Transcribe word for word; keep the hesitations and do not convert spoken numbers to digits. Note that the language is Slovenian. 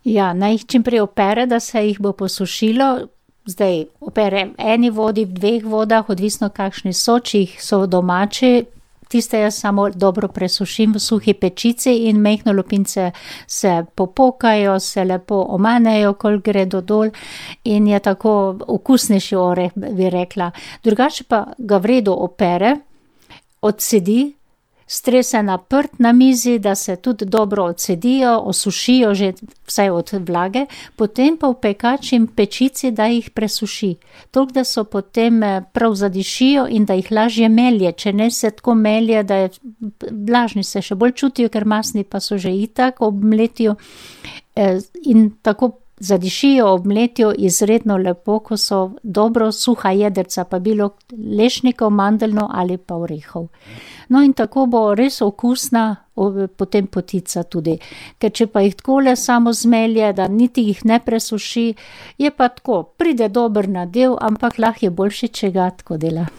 Ja, naj jih čim prej opere, da se jih bo posušilo. Zdaj opere v eni vodi, v dveh vodah, odvisno kakšni so, če jih so domači. Tiste jaz samo dobro presušim v suhi pečici in majhne lupince se popokajo, se lepo omanejo, koliko gre do dol in je tako okusnejši oreh, bi rekla. Drugače pa ga v redu opere, odcedi, strese na prt na mizi, da se tudi dobro odcedijo, osušijo že vsaj od vlage, potem pa v pekač in pečici, da jih presuši. Toliko, da so potem prav zadišijo in da jih lažje melje, če ne se tako melje, da je vlažni se še bolj čutijo, ker masni pa so že itak ob mletju in tako zadišijo ob mletju izredno lepo, ko so dobro suha jedrca, pa bilo lešnikov, mandeljno ali pa orehov. No in tako bo res okusna potem potica tudi. Ker če pa jih takole samo zmelje, da niti jih ne presuši, je pa tako, pride dober nadev, ampak lahko je boljše, če ga tako dela.